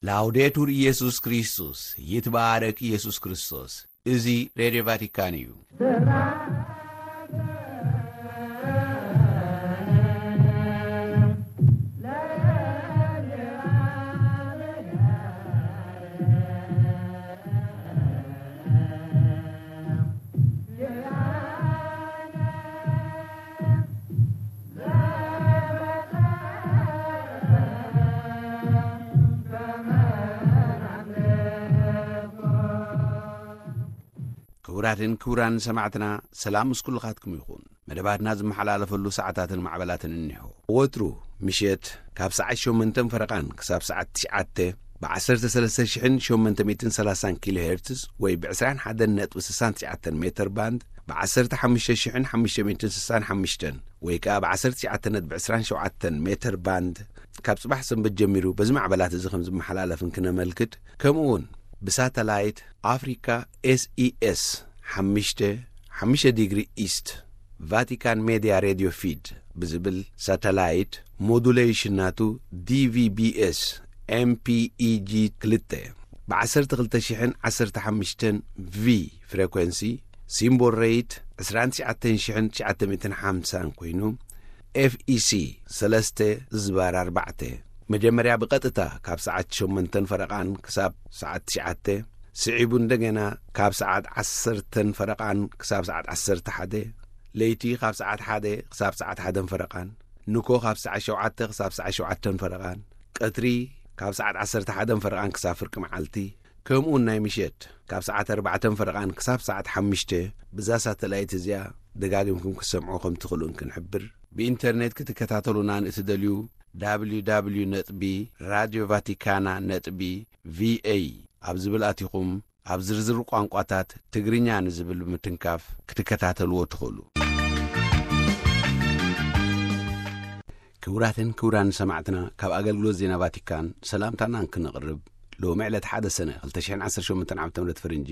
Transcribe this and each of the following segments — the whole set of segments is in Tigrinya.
ላውዴቱር ኢየሱስ ክርስቶስ፣ ይትባረክ ኢየሱስ ክርስቶስ። እዚ ሬድዮ ቫቲካን እዩ። ክቡራትን ክቡራን ሰማዕትና፣ ሰላም ምስ ኩልኻትኩም ይኹን። መደባትና ዝመሓላለፈሉ ሰዓታትን ማዕበላትን እኒሆ። ወትሩ ምሸት ካብ ሰዓት ሸሞንተን ፈረቓን ክሳብ ሰዓት ትሽዓተ ብ ዓሰርተ ሰለስተ ሽሕን ሸሞንተ ሚእትን ሰላሳን ኪሎ ሄርትዝ ወይ ብ ዕስራን ሓደን ነጥቢ ስሳን ትሽዓተን ሜተር ባንድ፣ ብ ዓሰርተ ሓሙሽተ ሽሕን ሓሙሽተ ሚእትን ስሳን ሓሙሽተን ወይ ከኣ ብ ዓሰርተ ትሽዓተ ነጥቢ ዕስራን ሸውዓተን ሜተር ባንድ፣ ካብ ጽባሕ ሰንበት ጀሚሩ በዚ ማዕበላት እዚ ከም ዝመሓላለፍ እንክነመልክት፣ ከምኡ እውን ብሳተላይት ኣፍሪካ ኤስኢኤስ ሓሙሽተ ሓሙሽተ ዲግሪ ኢስት ቫቲካን ሜድያ ሬድዮ ፊድ ብዝብል ሳተላይት ሞዱሌሽን ናቱ ዲቪቢኤስ ኤምፒኢጂ ክልተ ብ ዓሰርተ ክልተ ሽሕን ዓሰርተ ሓሙሽተን ቪ ፍሬኮንሲ፣ ሲምቦል ሬይት ዕስራን ትሽዓተን ሽሕን ትሽዓተ ሚእትን ሓምሳን ኮይኑ፣ ኤፍኢሲ ሰለስተ ዝባር ኣርባዕተ፣ መጀመርያ ብቐጥታ ካብ ሰዓት ሸሞንተን ፈረቓን ክሳብ ሰዓት ትሽዓተ፣ ስዒቡ እንደገና ካብ ሰዓት ዓሰርተን ፈረቓን ክሳብ ሰዓት ዓሰርተ ሓደ፣ ለይቲ ካብ ሰዓት ሓደ ክሳብ ሰዓት ሓደን ፈረቓን፣ ንኮ ካብ ሰዓት ሸውዓተ ክሳብ ሰዓት ሸውዓተን ፈረቓን፣ ቀትሪ ካብ ሰዓት ዓሰርተ ሓደን ፈረቓን ክሳብ ፍርቂ መዓልቲ፣ ከምኡውን ናይ ምሸት ካብ ሰዓት ኣርባዕተን ፈረቓን ክሳብ ሰዓት ሓሙሽተ፣ ብዛ ሳተላይት እዚኣ ደጋጊምኩም ክትሰምዑ ከም ትኽእሉ እንክንሕብር፣ ብኢንተርኔት ክትከታተሉና ንእትደልዩ፣ www ነጥቢ ራድዮ ቫቲካና ነጥቢ ቪኤ ኣብ ዝብል ኣቲኹም፣ ኣብ ዝርዝር ቋንቋታት ትግርኛ ንዝብል ብምትንካፍ ክትከታተልዎ ትኽእሉ። ክቡራትን ክቡራን ሰማዕትና፣ ካብ ኣገልግሎት ዜና ቫቲካን ሰላምታና እንክነቕርብ፣ ሎሚ ዕለት ሓደ ሰነ ክልተ ሽሕን ዓሰርተ ሸሞንተን ዓመተ ምህረት ፈረንጂ፣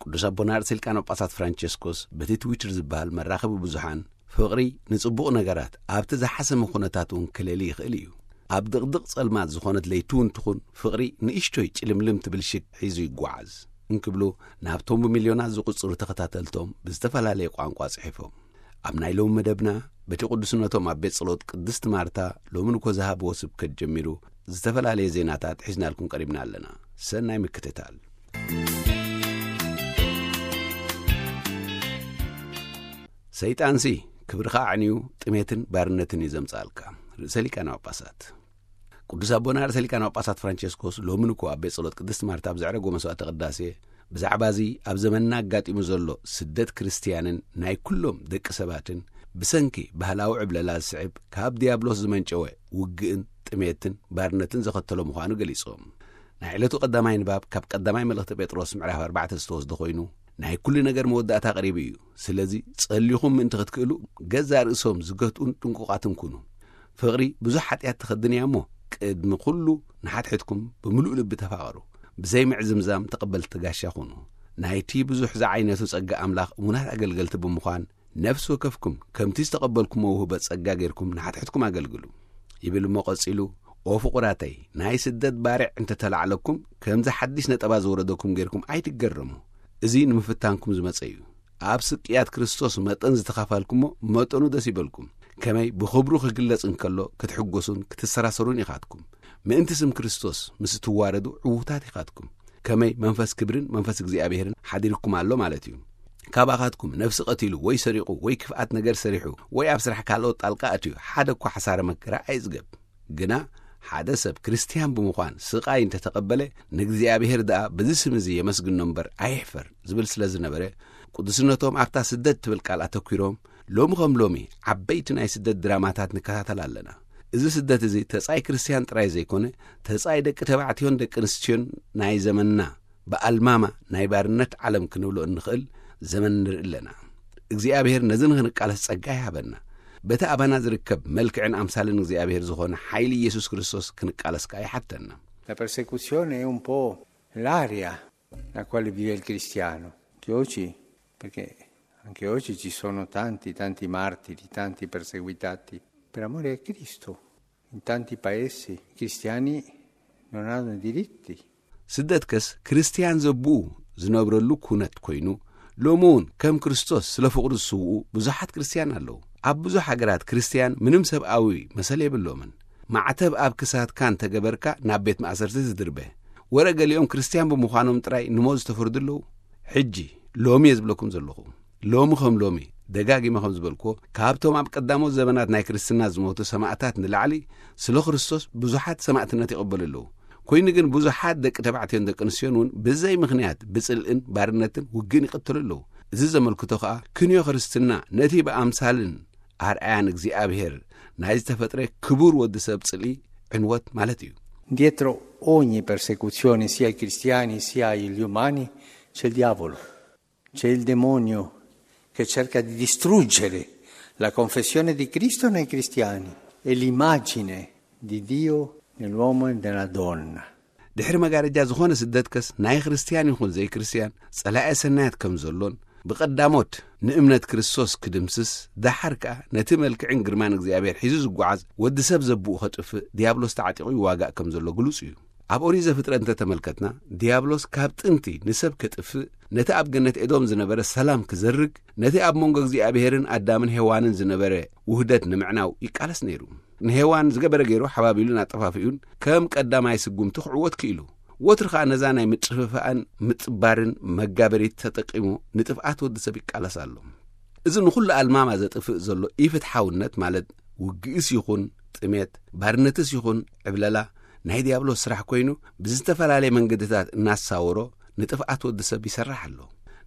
ቅዱስ ኣቦና ርእሰ ሊቃነ ጳጳሳት ፍራንቸስኮስ በቲ ትዊተር ዝበሃል መራኸቢ ብዙሓን፣ ፍቕሪ ንጽቡቕ ነገራት ኣብቲ ዝሓሰመ ኩነታት እውን ክለሊ ይኽእል እዩ። ኣብ ድቕድቕ ጸልማት ዝኾነት ለይቲ እውን ትኹን፣ ፍቕሪ ንእሽቶይ ጭልምልም ትብል ሽግ ሒዙ ይጓዓዝ እንክብሉ፣ ናብቶም ብሚልዮናት ዝቑጽሩ ተኸታተልቶም ብዝተፈላለየ ቋንቋ ጽሒፎም። ኣብ ናይ ሎሚ መደብና፣ በቲ ቅዱስነቶም ኣብ ቤት ጸሎት ቅድስት ማርታ ሎሚ ንኮ ዝሃብዎ ስብከት ጀሚሩ፣ ዝተፈላለየ ዜናታት ሒዝናልኩም ቀሪብና ኣለና። ሰናይ ምክትታል። ሰይጣንሲ ክብርኻ ኣዕንዩ ጥሜትን ባርነትን እዩ ዘምጽኣልካ። ርእሰ ሊቃነ ጳጳሳት። ቅዱስ ኣቦና ርእሰ ሊቃነ ጳጳሳት ፍራንቸስኮስ ሎሚ ንኮ ኣብ ቤት ጸሎት ቅድስት ማርታ ኣብ ዘዕረጎ መስዋዕተ ቅዳሴ፣ ብዛዕባ እዚ ኣብ ዘመንና ኣጋጢሙ ዘሎ ስደት ክርስትያንን ናይ ኩሎም ደቂ ሰባትን ብሰንኪ ባህላዊ ዕብለላ ዝስዕብ ካብ ዲያብሎስ ዝመንጨወ ውግእን ጥሜትን ባርነትን ዘኸተሎ ምዃኑ ገሊጾም። ናይ ዕለቱ ቀዳማይ ንባብ ካብ ቀዳማይ መልእኽቲ ጴጥሮስ ምዕራፍ ኣርባዕተ ዝተወስደ ኮይኑ፣ ናይ ኩሉ ነገር መወዳእታ ቀሪቡ እዩ። ስለዚ ጸሊኹም ምእንቲ ክትክእሉ፣ ገዛእ ርእሶም ዝገትኡን ጥንቁቓትን ኩኑ። ፍቕሪ ብዙሕ ሓጢኣት ትኸድን እያ እሞ፣ ቅድሚ ኩሉ ንሓድሕድኩም ብምሉእ ልቢ ተፋቐሩ። ብዘይ ምዕዝምዛም ተቐበልቲ ጋሻ ኩኑ። ናይቲ ብዙሕ ዝዓይነቱ ጸጋ ኣምላኽ እሙናት ኣገልገልቲ ብምዃን፣ ነፍሲ ወከፍኩም ከምቲ ዝተቐበልኩሞ ውህበት ጸጋ ጌርኩም ንሓድሕድኩም ኣገልግሉ። ይብል እሞ ቀጺሉ፣ ኦ ፍቑራተይ፣ ናይ ስደት ባርዕ እንተተላዕለኩም፣ ከምዚ ሓድሽ ነጠባ ዝወረደኩም ጌርኩም ኣይትገረሙ። እዚ ንምፍታንኩም ዝመጸ እዩ። ኣብ ስቅያት ክርስቶስ መጠን ዝተኻፋልኩሞ መጠኑ ደስ ይበልኩም። ከመይ ብኽብሩ ክግለጽ እንከሎ ክትሕጎሱን ክትሰራሰሩን ኢኻትኩም። ምእንቲ ስም ክርስቶስ ምስ እትዋረዱ ዕዉታት ኢኻትኩም። ከመይ መንፈስ ክብርን መንፈስ እግዚኣብሔርን ሓዲርኩም ኣሎ ማለት እዩ። ካባኻትኩም ነፍሲ ቀቲሉ ወይ ሰሪቑ ወይ ክፍኣት ነገር ሰሪሑ ወይ ኣብ ስራሕ ካልኦት ጣልቃ ኣትዩ ሓደ እኳ ሓሳረ መከራ ኣይጽገብ። ግና ሓደ ሰብ ክርስትያን ብምዃን ስቓይ እንተተቐበለ፣ ንእግዚኣብሔር ደኣ በዚ ስም እዚ የመስግኖ እምበር ኣየሕፈር ዝብል ስለ ዝነበረ፣ ቅዱስነቶም ኣብታ ስደት ትብል ቃል ኣተኲሮም፣ ሎሚ ከም ሎሚ ዓበይቲ ናይ ስደት ድራማታት ንከታተል ኣለና። እዚ ስደት እዚ ተጻይ ክርስትያን ጥራይ ዘይኮነ፣ ተጻይ ደቂ ተባዕትዮን ደቂ ኣንስትዮን ናይ ዘመንና ብኣልማማ ናይ ባርነት ዓለም ክንብሎ እንኽእል ዘመን ንርኢ ኣለና። እግዚኣብሔር ነዚ ንኽንቃለስ ጸጋ ይሃበና። በቲ ኣባና ዝርከብ መልክዕን ኣምሳልን እግዚኣብሔር ዝኾነ ሓይሊ ኢየሱስ ክርስቶስ ክንቃለስ ከኣ ይሓተና። La persecuzione è un po' l'aria nella quale vive il cristiano, che oggi, perché anche oggi ci sono tanti, tanti martiri, tanti perseguitati per amore a Cristo. In tanti paesi i cristiani Non hanno diritti. ስደትከስ ክርስትያን ዘብኡ ዝነብረሉ ኩነት ኮይኑ፣ ሎሚ እውን ከም ክርስቶስ ስለ ፍቕሩ ዝስውኡ ብዙሓት ክርስትያን ኣለዉ። ኣብ ብዙሕ ሃገራት ክርስትያን ምንም ሰብኣዊ መሰል የብሎምን። ማዕተብ ኣብ ክሳድካ እንተገበርካ ናብ ቤት ማእሰርቲ ትድርበ። ወረ ገሊኦም ክርስትያን ብምዃኖም ጥራይ ንሞት ዝተፈርዱ ኣለዉ። ሕጂ ሎሚ እየ ዝብለኩም ዘለኹ። ሎሚ ከም ሎሚ፣ ደጋጊመ ከም ዝበልኩዎ፣ ካብቶም ኣብ ቀዳሞት ዘበናት ናይ ክርስትና ዝሞቱ ሰማእታት ንላዕሊ፣ ስለ ክርስቶስ ብዙሓት ሰማእትነት ይቕበሉ ኣለዉ። ኮይኑ ግን ብዙሓት ደቂ ተባዕትዮን ደቂ ኣንስትዮን እውን ብዘይ ምኽንያት ብጽልእን ባርነትን ውግእን ይቕተሉ ኣለዉ። እዚ ዘመልክቶ ከኣ ክንዮ ክርስትና ነቲ ብኣምሳልን ኣርኣያን እግዚኣብሔር ናይ ዝተፈጥረ ክቡር ወዲ ሰብ ጽልኢ ዕንወት ማለት እዩ። Dietro ogni persecuzione, sia ai cristiani sia agli umani, c'è il diavolo. C'è il demonio che cerca di distruggere la confessione di Cristo nei cristiani e l'immagine di Dio nell'uomo e nella donna. ድሕሪ መጋረጃ ዝኾነ ስደትከስ ናይ ክርስትያን ይኹን ዘይክርስትያን ጸላኤ ሰናያት ከም ዘሎን፣ ብቐዳሞት ንእምነት ክርስቶስ ክድምስስ፣ ደሓር ከኣ ነቲ መልክዕን ግርማን እግዚኣብሔር ሒዙ ዝጓዓዝ ወዲ ሰብ ዘብኡ ከጥፍእ ዲያብሎስ ተዓጢቑ ይዋጋእ ከም ዘሎ ግሉጽ እዩ። ኣብ ኦሪት ዘፍጥረት እንተተመልከትና፣ ዲያብሎስ ካብ ጥንቲ ንሰብ ከጥፍእ፣ ነቲ ኣብ ገነት ኤዶም ዝነበረ ሰላም ክዘርግ፣ ነቲ ኣብ መንጎ እግዚኣብሔርን ኣዳምን ሄዋንን ዝነበረ ውህደት ንምዕናው ይቃለስ ነይሩ። ንሄዋን ዝገበረ ገይሩ ሓባቢሉን ኣጠፋፊኡን ከም ቀዳማይ ስጉምቲ ክዕወት ክኢሉ። ወትሩ ኸኣ ነዛ ናይ ምጥፍፋእን ምጥባርን መጋበሪት ተጠቂሙ ንጥፍኣት ወዲ ሰብ ይቃለስ ኣሎ። እዚ ንኹሉ ኣልማማ ዘጥፍእ ዘሎ ኢፍትሓውነት፣ ማለት ውግእስ ይኹን ጥሜት፣ ባርነትስ ይኹን ዕብለላ፣ ናይ ዲያብሎስ ስራሕ ኮይኑ፣ ብዝተፈላለየ መንገድታት እናሳወሮ ንጥፍኣት ወዲ ሰብ ይሰርሕ ኣሎ።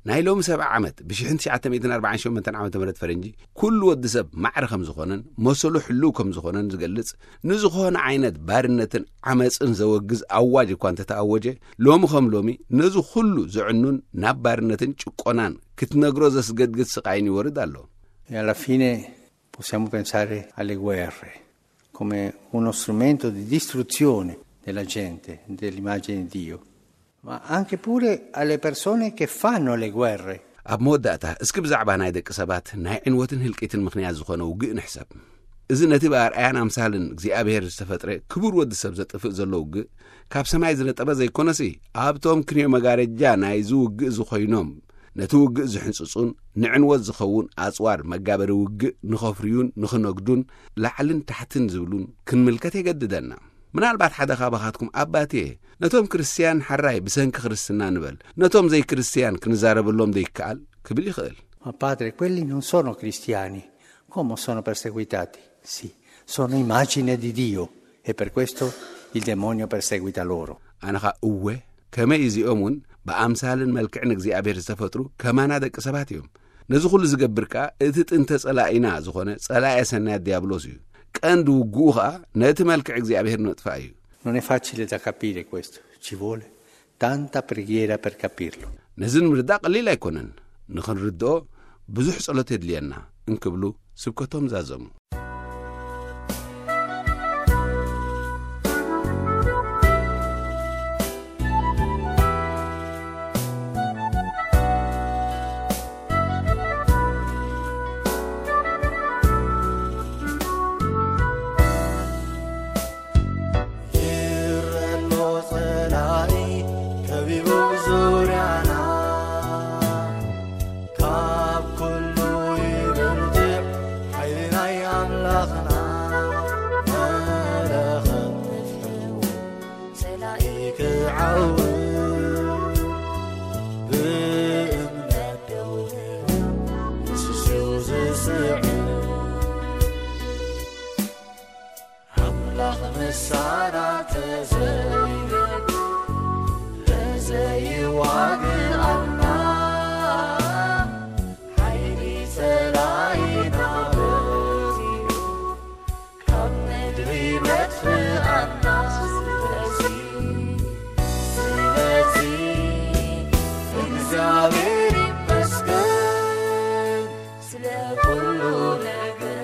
ናይ ሎሚ ሰብዓ ዓመት፣ ብ1948 ዓመተ ምህረት ፈረንጂ፣ ኩሉ ወዲ ሰብ ማዕረ ከም ዝኾነን መሰሉ ሕልው ከም ዝኾነን ዝገልጽ፣ ንዝኾነ ዓይነት ባርነትን ዓመጽን ዘወግዝ ኣዋጅ እኳ እንተተኣወጀ፣ ሎሚ ከም ሎሚ ነዚ ኩሉ ዘዕኑን ናብ ባርነትን ጭቆናን ክትነግሮ ዘስገድግድ ስቓይን ይወርድ ኣሎ። E alla fine possiamo pensare alle guerre come uno strumento di distruzione della gente, dell'immagine di Dio, ma anche pure alle persone che fanno le guerre. ኣብ መወዳእታ፣ እስኪ ብዛዕባ ናይ ደቂ ሰባት ናይ ዕንወትን ህልቂትን ምኽንያት ዝኾነ ውግእ ንሕሰብ። እዚ ነቲ ብኣርኣያን ኣምሳልን እግዚኣብሔር ዝተፈጥረ ክቡር ወዲ ሰብ ዘጥፍእ ዘሎ ውግእ፣ ካብ ሰማይ ዝነጠበ ዘይኮነሲ፣ ኣብቶም ክንዮ መጋረጃ ናይዚ ውግእ ዝኾይኖም፣ ነቲ ውግእ ዝሕንጽጹን ንዕንወት ዝኸውን ኣጽዋር መጋበሪ ውግእ ንኸፍርዩን ንኽነግዱን ላዕልን ታሕትን ዝብሉን ክንምልከት የገድደና። ምናልባት ሓደ ካባኻትኩም ኣባትየ፣ ነቶም ክርስትያን ሓራይ ብሰንኪ ክርስትና ንበል፣ ነቶም ዘይክርስትያን ክንዛረበሎም ዘይከኣል ክብል ይኽእል። Ma padre, quelli non sono cristiani, come sono perseguitati? Sì, sono immagine di Dio e per questo il demonio perseguita loro. ኣነኻ እወ፣ ከመይ እዚኦም እውን ብኣምሳልን መልክዕን እግዚኣብሔር ዝተፈጥሩ ከማና ደቂ ሰባት እዮም። ነዚ ኩሉ ዝገብር ከኣ እቲ ጥንተ ጸላኢና ዝኾነ ጸላኤ ሰናያት ዲያብሎስ እዩ። ቀንዲ ውግኡ ኸኣ ነቲ መልክዕ እግዚኣብሔር ንምጥፋእ እዩ። Non è facile da capire questo, ci vuole tanta preghiera per capirlo. ነዚ ንምርዳእ ቀሊል ኣይኮነን። ንኽንርድኦ ብዙሕ ጸሎት የድልየና እንክብሉ ስብከቶም ዛዘሙ። ይረሎ ጸላኢ ከቢቡ ዙርያና፣ ካብ ኩሉ ይብርትዕ ሓይሊ ናይ ኣምላኽና። መለኸት ንፍሕዎ ጸላኢ ክዓውር፣ ብእምነት ደው ንበል ንሱ ዝስዕር። ኣምላኽ ምሳና ተዘይረድ ተዘይዋግኣና፣ ሓይሊ ጸላኢና በዚሑ ካብ ምድሪ መጥፍኣና። ስለዚ፣ ስለዚ እግዚኣብሔር ይመስገን ስለ ኩሉ ነገር።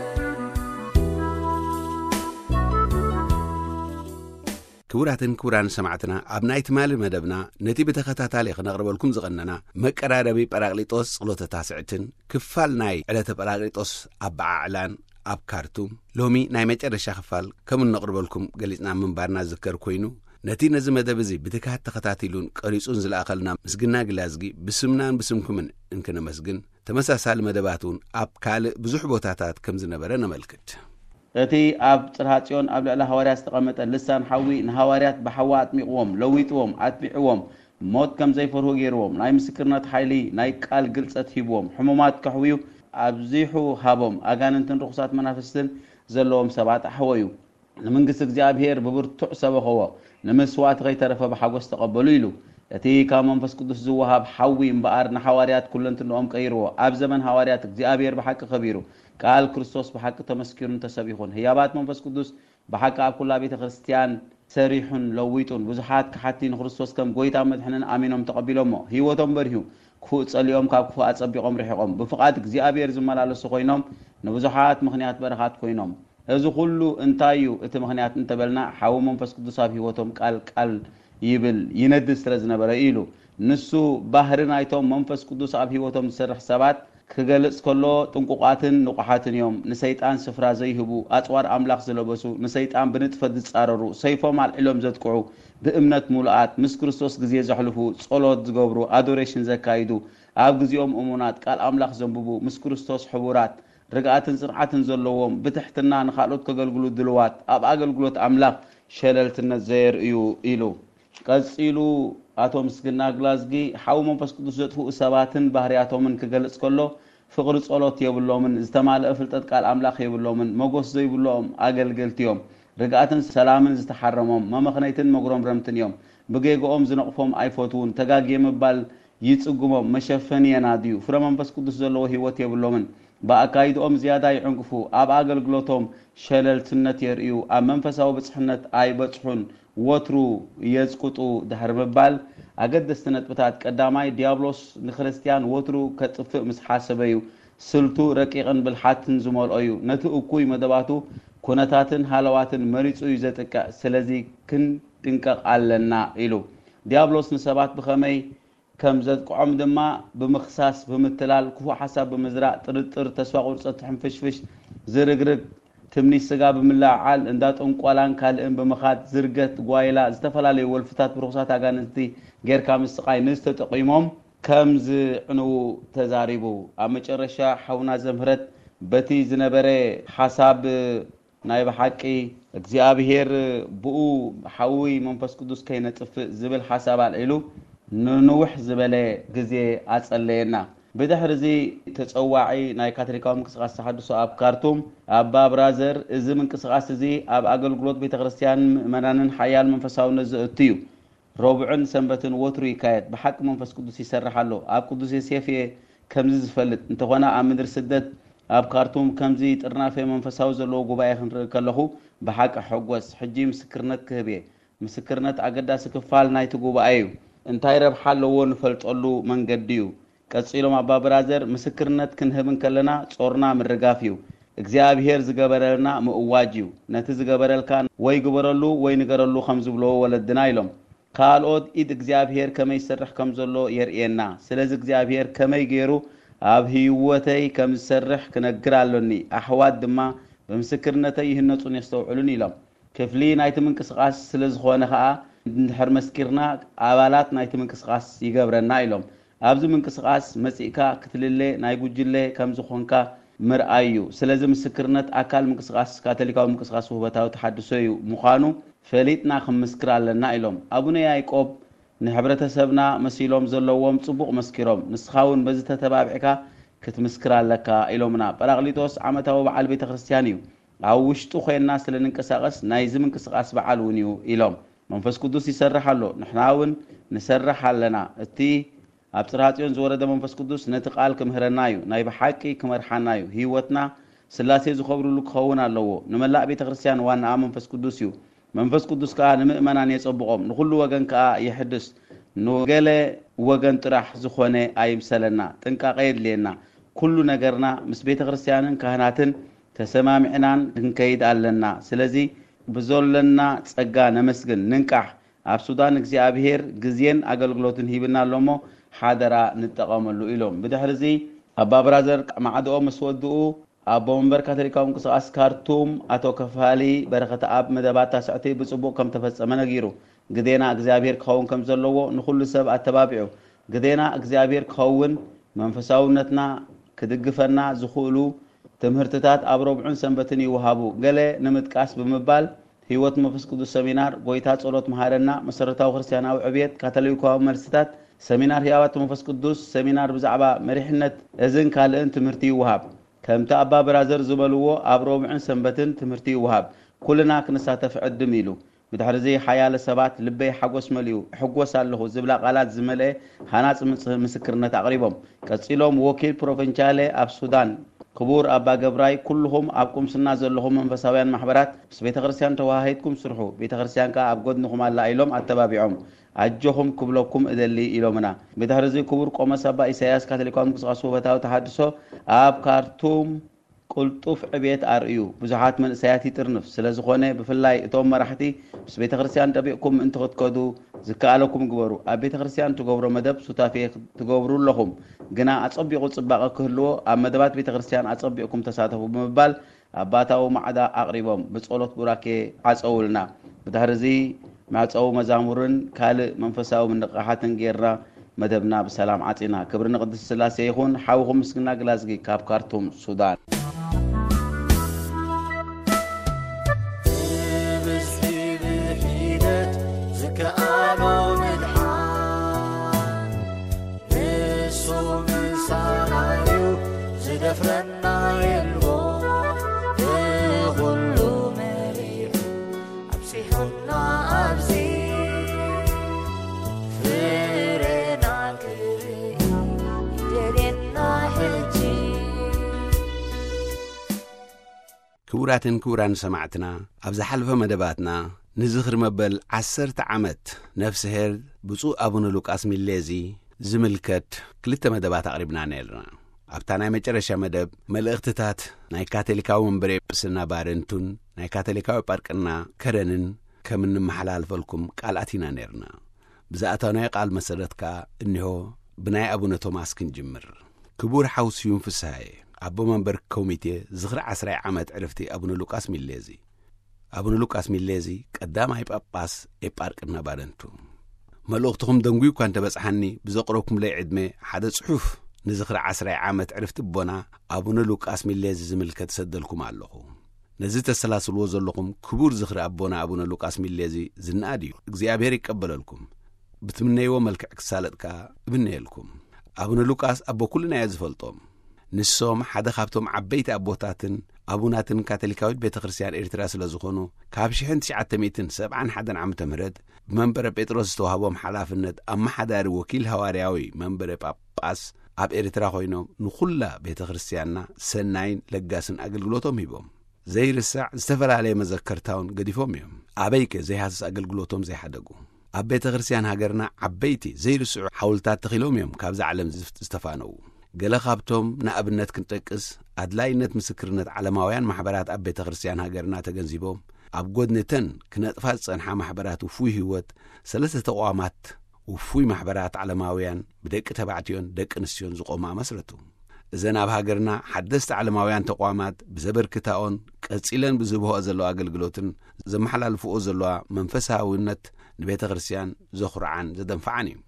ክቡራትን ክቡራን ሰማዕትና፣ ኣብ ናይ ትማሊ መደብና ነቲ ብተኸታታሊ ክነቕርበልኩም ዝቐነና መቀራረቢ ጳራቅሊጦስ ጸሎተ ታስዕትን ክፋል ናይ ዕለተ ጳራቅሊጦስ ኣበዓዕላን ኣብ ካርቱም ሎሚ ናይ መጨረሻ ክፋል ከም እነቕርበልኩም ገሊጽና ምንባርና ዝዝከር ኮይኑ፣ ነቲ ነዚ መደብ እዚ ብትግሃት ተኸታቲሉን ቀሪጹን ዝለኣኸልና ምስግና ግላዝጊ ብስምናን ብስምኩምን እንክነመስግን፣ ተመሳሳሊ መደባት እውን ኣብ ካልእ ብዙሕ ቦታታት ከም ዝነበረ ነመልክት። እቲ ኣብ ጽርሃ ጽዮን ኣብ ልዕሊ ሃዋርያት ዝተቐመጠ ልሳን ሓዊ ንሃዋርያት ብሓዊ ኣጥሚቕዎም፣ ለዊጥዎም፣ ኣትቢዕዎም፣ ሞት ከም ዘይፈርሁ ገይርዎም፣ ናይ ምስክርነት ሓይሊ ናይ ቃል ግልጸት ሂብዎም፣ ሕሙማት ከሕውዩ ኣብዚሑ ሃቦም፣ ኣጋንንትን ርኹሳት መናፍስትን ዘለዎም ሰባት ኣሕወዩ። ንመንግስቲ እግዚኣብሔር ብብርቱዕ ሰበኸዎ፣ ንምስዋእቲ ከይተረፈ ብሓጎስ ተቐበሉ ኢሉ። እቲ ካብ መንፈስ ቅዱስ ዝወሃብ ሓዊ እምበኣር ንሓዋርያት ኩለንትንኦም ቀይርዎ። ኣብ ዘመን ሃዋርያት እግዚኣብሔር ብሓቂ ከቢሩ፣ ቃል ክርስቶስ ብሓቂ ተመስኪሩን ተሰቢኹን። ህያባት መንፈስ ቅዱስ ብሓቂ ኣብ ኩላ ቤተ ክርስቲያን ሰሪሑን ለዊጡን። ብዙሓት ክሓቲ ንክርስቶስ ከም ጎይታ መድሕንን ኣሚኖም ተቐቢሎሞ። ህይወቶም በሪሁ፣ ክፉእ ጸሊኦም ካብ ክፉእ ኣጸቢቖም ርሒቖም። ብፍቓድ እግዚኣብሔር ዝመላለሱ ኮይኖም ንብዙሓት ምኽንያት በረኻት ኮይኖም። እዚ ኩሉ እንታይ እዩ እቲ ምኽንያት እንተበልና፣ ሓዊ መንፈስ ቅዱስ ኣብ ህይወቶም ቃል ቃል ይብል ይነድድ ስለ ዝነበረ እዩ ኢሉ። ንሱ ባህሪ ናይቶም መንፈስ ቅዱስ ኣብ ህይወቶም ዝሰርሕ ሰባት ክገልጽ ከሎ፣ ጥንቁቓትን ንቑሓትን እዮም። ንሰይጣን ስፍራ ዘይህቡ፣ ኣጽዋር ኣምላኽ ዝለበሱ፣ ንሰይጣን ብንጥፈት ዝጻረሩ፣ ሰይፎም ኣልዒሎም ዘጥቅዑ፣ ብእምነት ሙሉኣት፣ ምስ ክርስቶስ ግዜ ዘሕልፉ፣ ጸሎት ዝገብሩ፣ ኣዶሬሽን ዘካይዱ፣ ኣብ ግዜኦም እሙናት፣ ቃል ኣምላኽ ዘንብቡ፣ ምስ ክርስቶስ ሕቡራት፣ ርግኣትን ጽንዓትን ዘለዎም፣ ብትሕትና ንኻልኦት ከገልግሉ ድልዋት፣ ኣብ ኣገልግሎት ኣምላኽ ሸለልትነት ዘየርእዩ ኢሉ። ቀጺሉ ኣቶ ምስግና ግላዝጊ፣ ሓዊ መንፈስ ቅዱስ ዘጥፍኡ ሰባትን ባህርያቶምን ክገልጽ ከሎ፣ ፍቕሪ ጸሎት የብሎምን፣ ዝተማልአ ፍልጠት ቃል ኣምላኽ የብሎምን፣ መጎስ ዘይብሎም ኣገልገልቲ እዮም። ርግኣትን ሰላምን ዝተሓረሞም፣ መመኽነይትን መጉረምረምትን እዮም። ብጌግኦም ዝነቕፎም ኣይፈትዉን፣ ተጋግየ ምባል ይጽግሞም፣ መሸፈኒ የናድዩ። ፍረ መንፈስ ቅዱስ ዘለዎ ህይወት የብሎምን። ብኣካይድኦም ዝያዳ ይዕንቅፉ፣ ኣብ ኣገልግሎቶም ሸለልትነት የርእዩ፣ ኣብ መንፈሳዊ ብጽሕነት ኣይበጽሑን፣ ወትሩ የዝቁጡ ድሕሪ ምባል፣ ኣገደስቲ ነጥብታት። ቀዳማይ፣ ዲያብሎስ ንክርስትያን ወትሩ ከጥፍእ ምስ ሓሰበ እዩ። ስልቱ ረቂቕን ብልሓትን ዝመልኦ እዩ። ነቲ እኩይ መደባቱ፣ ኩነታትን ሃለዋትን መሪጹ እዩ ዘጥቅዕ። ስለዚ ክንጥንቀቕ ኣለና ኢሉ። ዲያብሎስ ንሰባት ብኸመይ ከም ዘጥቅዖም ድማ ብምኽሳስ፣ ብምትላል፣ ክፉእ ሓሳብ ብምዝራእ፣ ጥርጥር፣ ተስፋ ቁርጸት፣ ሕንፍሽፍሽ፣ ዝርግርግ፣ ትምኒት ስጋ ብምልዕዓል፣ እንዳ ጥንቆላን ካልእን ብምኻድ፣ ዝርገት፣ ጓይላ፣ ዝተፈላለዩ ወልፍታት ብርኹሳት ኣጋንንቲ ጌርካ ምስቓይ ንዝተጠቒሞም ከም ዝዕንዉ ተዛሪቡ። ኣብ መጨረሻ ሓውና ዘምህረት በቲ ዝነበረ ሓሳብ ናይ ብሓቂ እግዚኣብሔር ብኡ ሓዊ መንፈስ ቅዱስ ከይነጥፍእ ዝብል ሓሳብ ኣልዒሉ ንንውሕ ዝበለ ግዜ ኣጸለየና። ብድሕሪ እዚ ተጸዋዒ ናይ ካቶሊካዊ ምንቅስቓስ ተሓድሶ ኣብ ካርቱም ኣባ ብራዘር፣ እዚ ምንቅስቓስ እዚ ኣብ ኣገልግሎት ቤተ ክርስቲያንን ምእመናንን ሓያል መንፈሳውነት ዘእቱ እዩ። ረቡዕን ሰንበትን ወትሩ ይካየድ። ብሓቂ መንፈስ ቅዱስ ይሰርሕ ኣሎ። ኣብ ቅዱስ ዮሴፍ እየ ከምዚ ዝፈልጥ። እንተኾነ ኣብ ምድሪ ስደት ኣብ ካርቱም ከምዚ ጥርናፈ መንፈሳዊ ዘለዎ ጉባኤ ክንርኢ ከለኹ ብሓቂ ሕጎስ። ሕጂ ምስክርነት ክህብ እየ። ምስክርነት ኣገዳሲ ክፋል ናይቲ ጉባኤ እዩ። እንታይ ረብሓ ኣለዎ ንፈልጠሉ መንገዲ እዩ። ቀጺሎም ኣባ ብራዘር፣ ምስክርነት ክንህብ እንከለና ጾርና ምርጋፍ እዩ። እግዚኣብሔር ዝገበረልና ምእዋጅ እዩ። ነቲ ዝገበረልካ ወይ ግበረሉ ወይ ንገረሉ ከም ዝብለዎ ወለድና ኢሎም። ካልኦት ኢድ እግዚኣብሔር ከመይ ይሰርሕ ከም ዘሎ የርእየና። ስለዚ እግዚኣብሔር ከመይ ገይሩ ኣብ ህይወተይ ከም ዝሰርሕ ክነግር ኣሎኒ። ኣሕዋት ድማ ብምስክርነተይ ይህነጹን የስተውዕሉን ኢሎም። ክፍሊ ናይቲ ምንቅስቓስ ስለ ዝኾነ ኸኣ፣ እንድሕር መስኪርና፣ ኣባላት ናይቲ ምንቅስቓስ ይገብረና ኢሎም። ኣብዚ ምንቅስቓስ መጺእካ ክትልለ ናይ ጉጅለ ከም ዝኾንካ ምርኣይ እዩ። ስለዚ ምስክርነት ኣካል ምንቅስቓስ ካቶሊካዊ ምንቅስቓስ ውህበታዊ ተሓድሶ እዩ ምዃኑ ፈሊጥና ክንምስክር ኣለና ኢሎም። ኣቡነ ያዕቆብ ንሕብረተሰብና መሲሎም ዘለዎም ጽቡቕ መስኪሮም፣ ንስኻ እውን በዚ ተተባቢዕካ ክትምስክር ኣለካ ኢሎምና። ጳራቅሊጦስ ዓመታዊ በዓል ቤተ ክርስቲያን እዩ። ኣብ ውሽጡ ኮይንና ስለ ንንቀሳቐስ ናይዚ ምንቅስቓስ በዓል እውን እዩ ኢሎም። መንፈስ ቅዱስ ይሰርሕ ኣሎ፣ ንሕና እውን ንሰርሕ ኣለና። እቲ ኣብ ጽርሃ ጽዮን ዝወረደ መንፈስ ቅዱስ ነቲ ቃል ክምህረና እዩ፣ ናይ ብሓቂ ክመርሓና እዩ። ህይወትና ስላሴ ዝኸብርሉ ክኸውን ኣለዎ። ንመላእ ቤተ ክርስቲያን ዋናኣ መንፈስ ቅዱስ እዩ። መንፈስ ቅዱስ ከኣ ንምእመናን የጸብቖም፣ ንኹሉ ወገን ከኣ የሕድስ። ንገለ ወገን ጥራሕ ዝኾነ ኣይምሰለና፣ ጥንቃቐ የድልየና። ኩሉ ነገርና ምስ ቤተ ክርስቲያንን ካህናትን ተሰማሚዕናን ክንከይድ ኣለና። ስለዚ ብዘሎና ጸጋ ነመስግን፣ ንንቃሕ። ኣብ ሱዳን እግዚኣብሔር ግዜን ኣገልግሎትን ሂብና ኣሎ እሞ ሓደራ ንጠቐመሉ ኢሎም። ብድሕሪ እዚ ኣባ ብራዘር ማዕድኦም ምስ ወድኡ ኣቦ መንበር ካቶሊካዊ ምንቅስቓስ ካርቱም ኣቶ ከፋሊ በረኸተኣብ መደባት ታስዕቲ ብጽቡቕ ከም ተፈጸመ ነጊሩ። ግዴና እግዚኣብሔር ክኸውን ከም ዘለዎ ንኹሉ ሰብ ኣተባቢዑ። ግዴና እግዚኣብሔር ክኸውን መንፈሳውነትና ክድግፈና ዝኽእሉ ትምህርትታት ኣብ ረቡዕን ሰንበትን ይወሃቡ። ገለ ንምጥቃስ ብምባል፣ ህይወት መንፈስ ቅዱስ ሰሚናር፣ ጎይታ ጸሎት መሃረና፣ መሰረታዊ ክርስቲያናዊ ዕብየት፣ ካቶሊካዊ መልስታት፣ ሰሚናር ህያባት መንፈስ ቅዱስ፣ ሰሚናር ብዛዕባ መሪሕነት፣ እዝን ካልእን ትምህርቲ ይወሃብ። ከምቲ ኣባ ብራዘር ዝበልዎ፣ ኣብ ረቡዕን ሰንበትን ትምህርቲ ይወሃብ። ኩልና ክንሳተፍ ዕድም ኢሉ። ብድሕርዚ ሓያለ ሰባት፣ ልበይ ሓጎስ መሊኡ፣ እሕጎስ ኣለኹ ዝብላ ቃላት ዝመልአ ሃናጺ ምጽ-፣ ምስክርነት ኣቕሪቦም። ቀጺሎም ወኪል ፕሮቪንቻሌ ኣብ ሱዳን ክቡር ኣባ ገብራይ፣ ኩልኹም ኣብ ቁምስና ዘለኹም መንፈሳውያን ማሕበራት ምስ ቤተ ክርስቲያን ተወሃሂድኩም ስርሑ፣ ቤተ ክርስቲያን ከኣ ኣብ ጎድንኹም ኣላ ኢሎም ኣተባቢዖም። ኣጆኹም ክብለኩም እደሊ ኢሎምና። ብድሕርዚ ክቡር ቆሞስ ኣባ ኢሳያስ ካቶሊካዊ ምንቅስቃስ ውህበታዊ ተሃድሶ ኣብ ካርቱም ቅልጡፍ ዕብየት ኣርእዩ። ብዙሓት መንእሰያት ይጥርንፍ። ስለ ዝኾነ ብፍላይ እቶም መራሕቲ ምስ ቤተ ክርስቲያን ጠቢቕኩም ምእንቲ ክትከዱ ዝከኣለኩም ግበሩ። ኣብ ቤተ ክርስቲያን ትገብሮ መደብ ሱታፌ ትገብሩ ኣለኹም። ግና ኣጸቢቑ ጽባቐ ክህልዎ ኣብ መደባት ቤተ ክርስቲያን ኣጸቢቕኩም ተሳተፉ ብምባል ኣባታዊ ማዕዳ ኣቕሪቦም ብጸሎት ቡራኬ ዓጸውልና። ብድሕርዚ መዕጸዊ መዛሙርን ካልእ መንፈሳዊ ምንቕቓሓትን ጌርና መደብና ብሰላም ዓጺና። ክብሪ ንቅድስቲ ስላሴ ይኹን። ሓውኹም ምስግና ግላዝጊ ካብ ካርቱም ሱዳን። ብብዝሒ ብሒደት ዝከኣሎ ምድሓን ንሱ ምሳና እዩ፣ ዝደፍረና የልቦ። ብኹሉ መሪሑ ኣብጺሑና ኣብዚ ፍሬና ክርኢ ይደልየና ሕጂ። ክቡራትን ክቡራን ሰማዕትና፣ ኣብ ዝሓለፈ መደባትና ንዝኽሪ መበል ዓሰርተ ዓመት ነፍስሄር ብፁዕ ኣቡነ ሉቃስ ሚሌዚ ዝምልከት ክልተ መደባት ኣቕሪብና ነይርና። ኣብታ ናይ መጨረሻ መደብ፣ መልእኽትታት ናይ ካቶሊካዊ መንበረ ጵስና ባረንቱን ናይ ካቶሊካዊ ጳርቅና ከረንን ከም እንመሓላልፈልኩም ቃል ኣቲና ነይርና። ብዝኣተናዮ ቃል መሰረት ከኣ እኒሆ ብናይ ኣቡነ ቶማስ ክንጅምር። ክቡር ሓው ስዩም ፍስሃየ፣ ኣቦ መንበር ኮሚቴ ዝኽሪ ዓስራይ ዓመት ዕርፍቲ ኣቡነ ሉቃስ ሚሌዚ። ኣቡነ ሉቃስ ሚሌዚ ቀዳማይ ጳጳስ ኤጳርቅና ባረንቱ። መልእኽትኹም ደንጉዩ እኳ እንተበጽሓኒ፣ ብዘቕረብኩምለይ ዕድመ ሓደ ጽሑፍ ንዝኽሪ ዓስራይ ዓመት ዕርፍቲ ኣቦና ኣቡነ ሉቃስ ሚሌዚ ዝምልከት ሰደልኩም ኣለኹ። ነዚ ተሰላስልዎ ዘለኹም ክቡር ዝኽሪ ኣቦና ኣቡነ ሉቃስ ሚሌዚ ዝነኣድ እዩ። እግዚኣብሔር ይቀበለልኩም። ብትምነይዎ መልክዕ ክሳለጥ ከኣ እምነየልኩም። ኣቡነ ሉቃስ ኣቦ ኩልና እየ ዝፈልጦም። ንሶም ሓደ ካብቶም ዓበይቲ ኣቦታትን ኣቡናትን ካቶሊካዊት ቤተ ክርስቲያን ኤርትራ ስለ ዝኾኑ፣ ካብ ሽሕን ትሽዓተ ሚእትን ሰብዓን ሓደን ዓመተ ምህረት ብመንበረ ጴጥሮስ ዝተዋህቦም ሓላፍነት ኣመሓዳሪ ወኪል ሃዋርያዊ መንበረ ጳጳስ ኣብ ኤርትራ ኮይኖም ንኹላ ቤተ ክርስቲያንና ሰናይን ለጋስን ኣገልግሎቶም ሂቦም። ዘይርሳዕ ዝተፈላለየ መዘከርታውን ገዲፎም እዮም። ኣበይከ ዘይሃስስ ኣገልግሎቶም ዘይሓደጉ? ኣብ ቤተ ክርስቲያን ሃገርና ዓበይቲ ዘይርስዑ ሓውልታት ተኺሎም እዮም ካብዛ ዓለም ዝፍ-፣ ዝተፋነዉ። ገለ ካብቶም ንኣብነት ክንጠቅስ፣ ኣድላይነት ምስክርነት ዓለማውያን ማሕበራት ኣብ ቤተ ክርስቲያን ሃገርና ተገንዚቦም፣ ኣብ ጎድኒ እተን ክነጥፋ ዝጸንሓ ማሕበራት ውፉይ ህይወት፣ ሰለስተ ተቋማት ውፉይ ማሕበራት ዓለማውያን ብደቂ ተባዕትዮን ደቂ ኣንስትዮን ዝቖማ መስረቱ። እዘን ኣብ ሃገርና ሓደስቲ ዓለማውያን ተቋማት ብዘበርክታኦን ቀጺለን ብዝህብኦ ዘለዋ ኣገልግሎትን ዘመሓላልፍኦ ዘለዋ መንፈሳውነት ንቤተ ክርስቲያን ዘኹርዓን ዘደንፍዓን እዩ።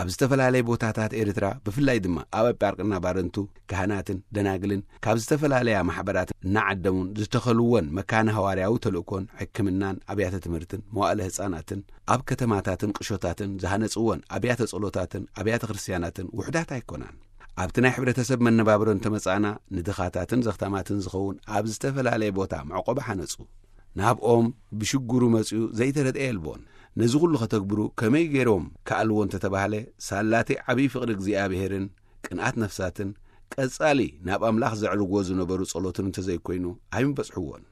ኣብ ዝተፈላለየ ቦታታት ኤርትራ፣ ብፍላይ ድማ ኣብ ኣጳርቅና ባረንቱ፣ ካህናትን ደናግልን ካብ ዝተፈላለያ ማሕበራት እናዓደሙን ዝተኸልወን መካነ ሃዋርያዊ ተልእኮን ሕክምናን ኣብያተ ትምህርትን መዋእለ ህጻናትን ኣብ ከተማታትን ቅሾታትን ዝሃነጽወን ኣብያተ ጸሎታትን ኣብያተ ክርስቲያናትን ውሑዳት ኣይኮናን። ኣብቲ ናይ ሕብረተሰብ መነባብሮ እንተመጻእና፣ ንድኻታትን ዘኽታማትን ዝኸውን ኣብ ዝተፈላለየ ቦታ መዕቆቢ ሓነጹ። ናብኦም ብሽግሩ መጺኡ ዘይተረድአ የልቦን። ነዚ ኩሉ ከተግብሩ ከመይ ገይሮም ከኣልዎ እንተተባህለ፣ ሳላቲ ዓብዪ ፍቕሪ እግዚኣብሔርን ቅንኣት ነፍሳትን ቀጻሊ ናብ ኣምላኽ ዘዕርግዎ ዝነበሩ ጸሎትን እንተዘይኮይኑ ኣይምበጽሕዎን።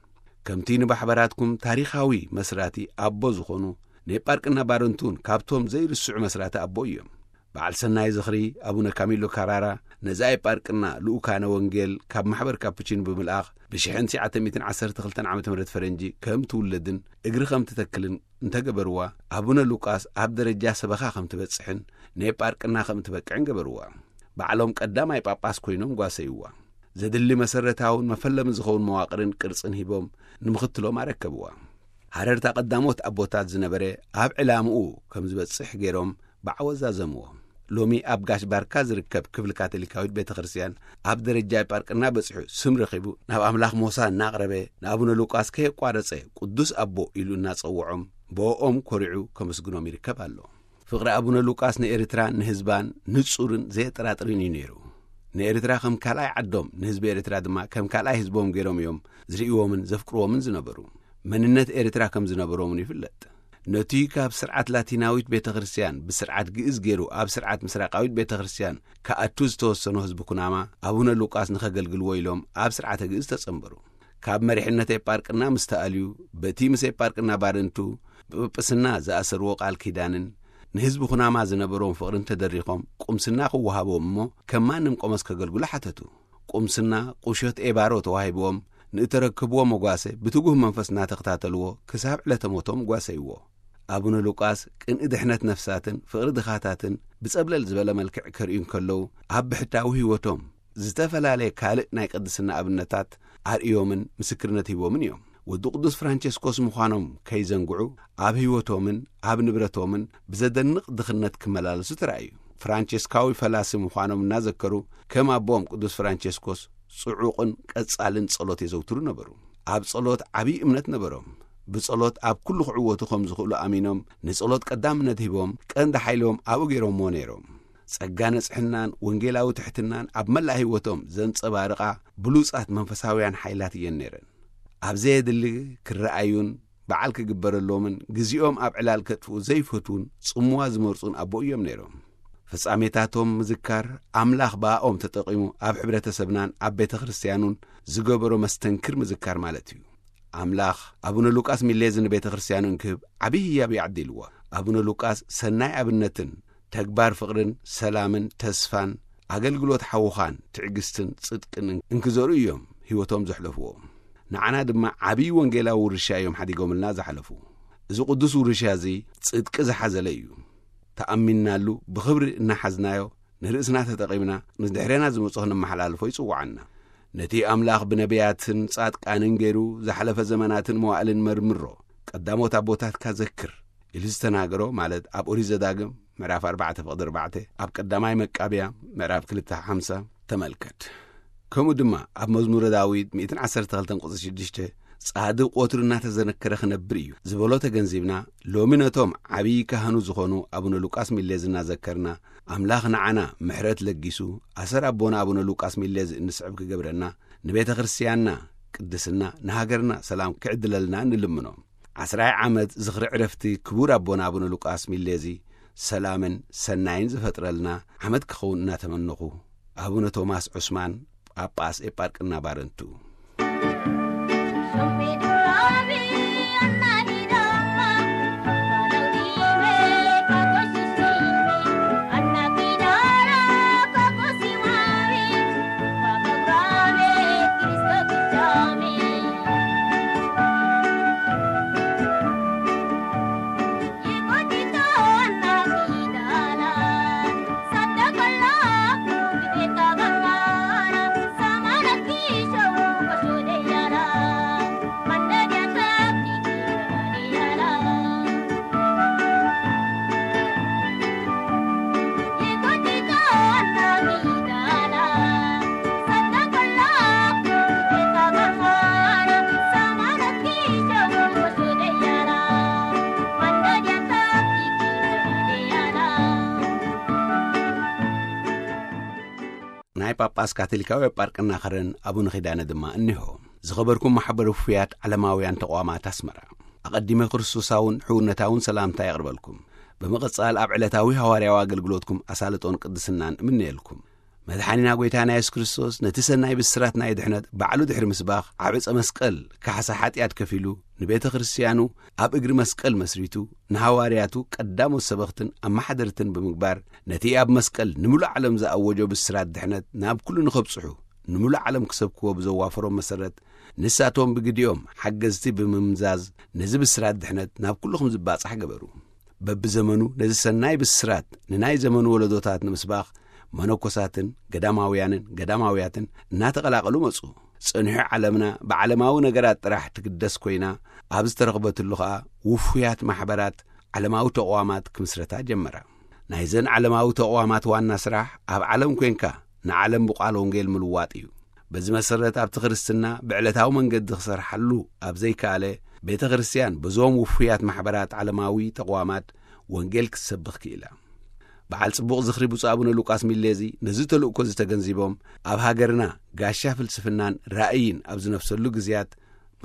ከምቲ ንባሕበራትኩም ታሪኻዊ መስራቲ ኣቦ ዝኾኑ ኔጳርቅና ባረንቱን ካብቶም ዘይርስዑ መስራቲ ኣቦ እዮም። በዓል ሰናይ ዝኽሪ ኣቡነ ካሚሎ ካራራ ነዚ ኣይጳርቅና ልኡካነ ወንጌል ካብ ማሕበር ካፑቺን ብምልኣኽ ብሽሕን ትሽዓተ ሚእትን ዓሰርተ ክልተን ዓመተ ምህረት ፈረንጂ ከም ትውለድን እግሪ ከም ትተክልን እንተገበርዋ፣ ኣቡነ ሉቃስ ኣብ ደረጃ ሰበኻ ከም ትበጽሕን ኔጳርቅና ከም ትበቅዕን ገበርዋ። ባዕሎም ቀዳማይ ጳጳስ ኮይኖም ጓሰይዋ። ዘድሊ መሰረታውን መፈለሚ ዝኸውን መዋቕርን ቅርጽን ሂቦም ንምኽትሎም ኣረከብዋ። ሃረርታ ቀዳሞት ኣቦታት ዝነበረ ኣብ ዕላምኡ ከም ዝበጽሕ ገይሮም ብዓወት ዛዘምዎ። ሎሚ ኣብ ጋሽ ባርካ ዝርከብ ክፍሊ ካቶሊካዊት ቤተ ክርስቲያን ኣብ ደረጃ ጳርቅና በጺሑ ስም ረኺቡ ናብ ኣምላኽ ሞሳ እናቕረበ ንኣቡነ ሉቃስ ከየቋረጸ ቅዱስ ኣቦ ኢሉ እናጸውዖም ብኦም ኮሪዑ ከመስግኖም ይርከብ ኣሎ። ፍቕሪ ኣቡነ ሉቃስ ንኤርትራን ንህዝባን ንጹርን ዘየጠራጥርን እዩ ነይሩ። ንኤርትራ ከም ካልኣይ ዓዶም ንህዝቢ ኤርትራ ድማ ከም ካልኣይ ህዝቦም ገይሮም እዮም ዝርእይዎምን ዘፍቅርዎምን ዝነበሩ። መንነት ኤርትራ ከም ዝነበሮምን ይፍለጥ። ነቲ ካብ ስርዓት ላቲናዊት ቤተ ክርስቲያን ብስርዓት ግእዝ ገይሩ ኣብ ስርዓት ምስራቃዊት ቤተ ክርስቲያን ክኣቱ ዝተወሰኑ ህዝቢ ኩናማ ኣቡነ ሉቃስ ንኸገልግልዎ ኢሎም ኣብ ስርዓተ ግእዝ ተጸንበሩ። ካብ መሪሕነት ኤጳርቅና ምስ ተኣልዩ በቲ ምስ ኤጳርቅና ባርንቱ ብጵጵስና ዝኣሰርዎ ቃል ኪዳንን ንህዝቢ ኩናማ ዝነበሮም ፍቕርን ተደሪኾም ቁምስና ክወሃቦም እሞ ከም ማንም ቆመስ ከገልግሉ ሓተቱ። ቁምስና ቁሸት ኤባሮ ተዋሂብዎም ንእተረክብዎ መጓሰ ብትጉህ መንፈስ እናተኸታተልዎ ክሳብ ዕለተ ሞቶም ጓሰይዎ። ኣቡነ ሉቃስ ቅንኢ ድሕነት ነፍሳትን ፍቕሪ ድኻታትን ብጸብለል ዝበለ መልክዕ ከርእዩ እንከለዉ ኣብ ብሕታዊ ህይወቶም ዝተፈላለየ ካልእ ናይ ቅድስና ኣብነታት ኣርእዮምን ምስክርነት ሂቦምን እዮም። ወዲ ቅዱስ ፍራንቸስኮስ ምዃኖም ከይዘንግዑ ኣብ ህይወቶምን ኣብ ንብረቶምን ብዘደንቕ ድኽነት ክመላለሱ ተራእዩ። ፍራንቸስካዊ ፈላሲ ምዃኖም እናዘከሩ ከም ኣቦኦም ቅዱስ ፍራንቸስኮስ ጽዑቕን ቀጻልን ጸሎት የዘውትሩ ነበሩ። ኣብ ጸሎት ዓብዪ እምነት ነበሮም። ብጸሎት ኣብ ኩሉ ክዕወቱ ከም ዝኽእሉ ኣሚኖም ንጸሎት ቀዳምነት ሂቦም ቀንዲ ሓይሎም ኣብኡ ገይሮምዎ ነይሮም። ጸጋ ንጽሕናን ወንጌላዊ ትሕትናን ኣብ መላእ ህይወቶም ዘንጸባርቓ ብሉጻት መንፈሳውያን ሓይላት እየን ነይረን። ኣብ ዘየድሊ ክረኣዩን በዓል ክግበረሎምን ግዜኦም ኣብ ዕላል ከጥፍኡ ዘይፈትዉን ጽምዋ ዝመርጹን ኣቦ እዮም ነይሮም። ፍጻሜታቶም ምዝካር ኣምላኽ ብኣኦም ተጠቒሙ ኣብ ሕብረተሰብናን ኣብ ቤተ ክርስቲያኑን ዝገበሮ መስተንክር ምዝካር ማለት እዩ። ኣምላኽ ኣቡነ ሉቃስ ሚሌዚ ንቤተ ክርስቲያኑ እንክህብ ዓብዪ ህያብ ይዓዲልዎ። ኣቡነ ሉቃስ ሰናይ ኣብነትን ተግባር ፍቕርን ሰላምን ተስፋን ኣገልግሎት ሓውኻን ትዕግስትን ጽድቅን እንክዘርኡ እዮም ህይወቶም ዘሕለፍዎ። ንዓና ድማ ዓብዪ ወንጌላዊ ውርሻ እዮም ሓዲጎምልና ዝሓለፉ። እዚ ቅዱስ ውርሻ እዚ ጽድቂ ዝሓዘለ እዩ። ተኣሚንናሉ ብኽብሪ እናሓዝናዮ ንርእስና ተጠቒምና ንድሕሬና ዝመጹ ክነመሓላልፎ ይጽውዓና። ነቲ ኣምላኽ ብነቢያትን ጻድቃንን ገይሩ ዝሓለፈ ዘመናትን መዋእልን መርምሮ፣ ቀዳሞት ኣቦታትካ ዘክር ኢሉ ዝተናገሮ፣ ማለት ኣብ ኦሪት ዘዳግም ምዕራፍ ኣርባዕተ ፍቕዲ ኣርባዕተ፣ ኣብ ቀዳማይ መቃብያ ምዕራፍ ክልተ ሓምሳ ተመልከት። ከምኡ ድማ ኣብ መዝሙረ ዳዊት ሚእትን ዓሰርተ ክልተን ቁጽሪ ሽዱሽተ፣ "ጻድቕ ወትሩ እናተዘነከረ ክነብር እዩ" ዝበሎ ተገንዚብና፣ ሎሚ ነቶም ዓብዪ ካህኑ ዝኾኑ ኣቡነ ሉቃስ ሚሌዝ እናዘከርና፣ ኣምላኽ ንዓና ምሕረት ለጊሱ፣ ኣሰር ኣቦና ኣቡነ ሉቃስ ሚሌዝ እንስዕብ ክገብረና፣ ንቤተ ክርስቲያንና ቅድስና፣ ንሃገርና ሰላም ክዕድለልና ንልምኖ። ዓስራይ ዓመት ዝኽሪ ዕረፍቲ ክቡር ኣቦና ኣቡነ ሉቃስ ሚሌዚ ሰላምን ሰናይን ዝፈጥረልና ዓመት ክኸውን እናተመነኹ፣ ኣቡነ ቶማስ ዑስማን፣ ጳጳስ ኤጳርቅና ባረንቱ። ናይ ጳጳስ ካቶሊካዊ ጳርቅና ኸረን ኣቡነ ኺዳነ ድማ እኒሆ። ዝኸበርኩም ማሕበረ ውፉያት ዓለማውያን ተቋማት ኣስመራ፣ ኣቐዲመ ክርስቶሳውን ሕውነታውን ሰላምታ የቕርበልኩም። ብምቕጻል ኣብ ዕለታዊ ሃዋርያዊ ኣገልግሎትኩም ኣሳልጦን ቅድስናን እምነየልኩም። መድሓኒና ጐይታና የሱስ ክርስቶስ ነቲ ሰናይ ብስራት ናይ ድሕነት ባዕሉ ድሕሪ ምስባኽ ኣብ ዕጸ መስቀል ካሕሳ ሓጢኣት ከፊሉ ንቤተ ክርስቲያኑ ኣብ እግሪ መስቀል መስሪቱ ንሃዋርያቱ ቀዳሞት ሰበኽትን ኣመሓደርትን ብምግባር ነቲ ኣብ መስቀል ንምሉእ ዓለም ዝኣወጆ ብስራት ድሕነት ናብ ኩሉ ንኸብጽሑ ንምሉእ ዓለም ክሰብክዎ ብዘዋፈሮም መሰረት ንሳቶም ብግዲኦም ሓገዝቲ ብምምዛዝ ነዚ ብስራት ድሕነት ናብ ኩሉ ከም ዝባጻሕ ገበሩ። በብዘመኑ ነዚ ሰናይ ብስራት ንናይ ዘመኑ ወለዶታት ንምስባኽ መነኮሳትን ገዳማውያንን ገዳማውያትን እናተቐላቐሉ መጹ። ጸኒሑ ዓለምና ብዓለማዊ ነገራት ጥራሕ ትግደስ ኮይና ኣብ ዝተረኽበትሉ ኸኣ ውፉያት ማሕበራት ዓለማዊ ተቕዋማት ክምስረታ ጀመራ። ናይዘን ዓለማዊ ተቕዋማት ዋና ስራሕ ኣብ ዓለም ኮይንካ ንዓለም ብቓል ወንጌል ምልዋጥ እዩ። በዚ መሰረት ኣብቲ ክርስትና ብዕለታዊ መንገዲ ክሰርሓሉ ኣብ ዘይከኣለ፣ ቤተ ክርስቲያን በዞም ውፉያት ማሕበራት ዓለማዊ ተቕዋማት ወንጌል ክትሰብኽ ክኢላ። በዓል ጽቡቕ ዝኽሪ ብፁዕ ኣቡነ ሉቃስ ሚሌዚ ነዚ ተልእኮ እዚ ተገንዚቦም፣ ኣብ ሃገርና ጋሻ ፍልስፍናን ራእይን ኣብ ዝነፍሰሉ ግዜያት፣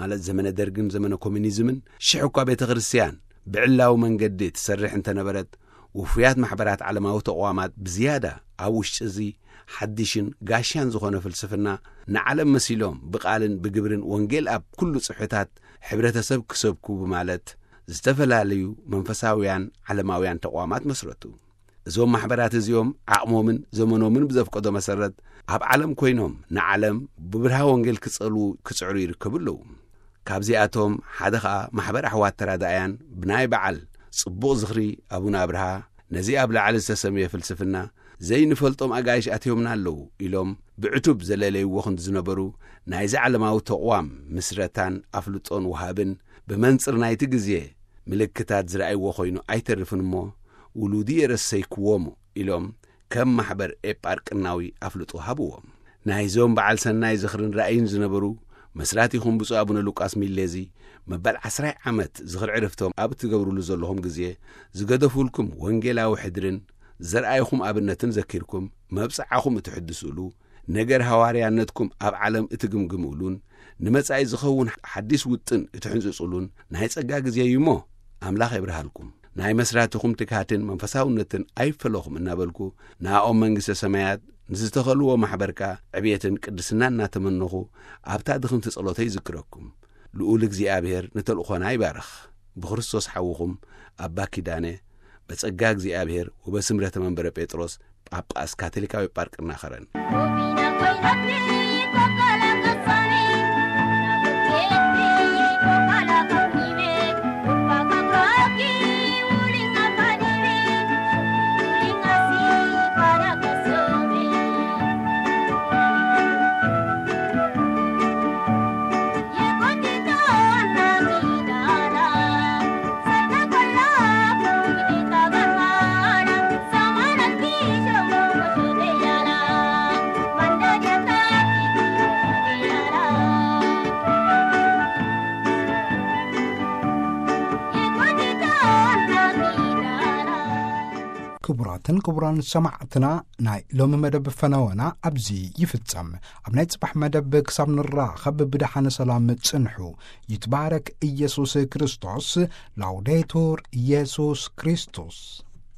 ማለት ዘመነ ደርግን ዘመነ ኮሚኒዝምን፣ ሽሕ እኳ ቤተ ክርስቲያን ብዕላዊ መንገዲ ትሰርሕ እንተነበረት፣ ውፉያት ማሕበራት ዓለማዊ ተቕዋማት ብዝያዳ ኣብ ውሽጢ እዚ ሓድሽን ጋሻን ዝኾነ ፍልስፍና ንዓለም መሲሎም ብቓልን ብግብርን ወንጌል ኣብ ኩሉ ጽፍሕታት ሕብረተሰብ ክሰብኩ ብማለት ዝተፈላለዩ መንፈሳውያን ዓለማውያን ተቕዋማት መስረቱ። እዞም ማሕበራት እዚኦም ዓቕሞምን ዘመኖምን ብዘፍቀዶ መሰረት ኣብ ዓለም ኮይኖም ንዓለም ብብርሃ ወንጌል ክጸልዉ ክጽዕሩ ይርከቡ ኣለዉ። ካብዚኣቶም ሓደ ኸኣ ማሕበር ኣሕዋት ተራዳእያን ብናይ በዓል ጽቡቕ ዝኽሪ ኣቡነ ኣብርሃ ነዚ ኣብ ላዕሊ ዝተሰምየ ፍልስፍና ዘይንፈልጦም ኣጋይሽ ኣትዮምና ኣለዉ ኢሎም ብዕቱብ ዘለለይዎ ክንዲ ዝነበሩ ናይዚ ዓለማዊ ተቕዋም ምስረታን ኣፍልጦን ወሃብን ብመንጽር ናይቲ ግዜ ምልክታት ዝረኣይዎ ኮይኑ ኣይተርፍን እሞ ውሉዲ የረሰይክዎሙ ኢሎም ከም ማሕበር ኤጳርቅናዊ ኣፍልጦ ሃብዎም። ናይዞም በዓል ሰናይ ዝኽርን ራእይን ዝነበሩ መስራቲኹም ብፁዕ ኣቡነ ሉቃስ ሚሌዚ መበል ዓስራይ ዓመት ዝኽሪ ዕርፍቶም ኣብ እትገብሩሉ ዘለኹም ግዜ ዝገደፉልኩም ወንጌላዊ ሕድርን ዘርኣይኹም ኣብነትን ዘኪርኩም መብጽዓኹም እትሕድሱሉ ነገር ሃዋርያነትኩም ኣብ ዓለም እትግምግምሉን ንመጻኢ ዝኸውን ሓዲስ ውጥን እትሕንጽጹሉን ናይ ጸጋ ግዜ እዩ እሞ ኣምላኽ የብርሃልኩም። ናይ መስራትኹም ትግሃትን መንፈሳውነትን ኣይፈለኹም እናበልኩ ንኣኦም መንግስተ ሰማያት ንዝተኸልዎ ማሕበርካ ዕብየትን ቅድስና እናተመነኹ ኣብታ ድኽምቲ ጸሎተይ ይዝክረኩም። ልኡል እግዚኣብሔር ንተልእኾና ይባርኽ። ብክርስቶስ ሓውኹም ኣባ ኪዳነ በጸጋ እግዚኣብሔር ወበስምረተ መንበረ ጴጥሮስ ጳጳስ ካቶሊካዊ ጳርቅና ኸረን። ክቡራትን ክቡራን ሰማዕትና፣ ናይ ሎሚ መደብ ፈነወና ኣብዚ ይፍጸም። ኣብ ናይ ጽባሕ መደብ ክሳብ ንራኸብ ብደሓነ ሰላም ጽንሑ። ይትባረክ ኢየሱስ ክርስቶስ። ላውዴቱር ኢየሱስ ክርስቶስ።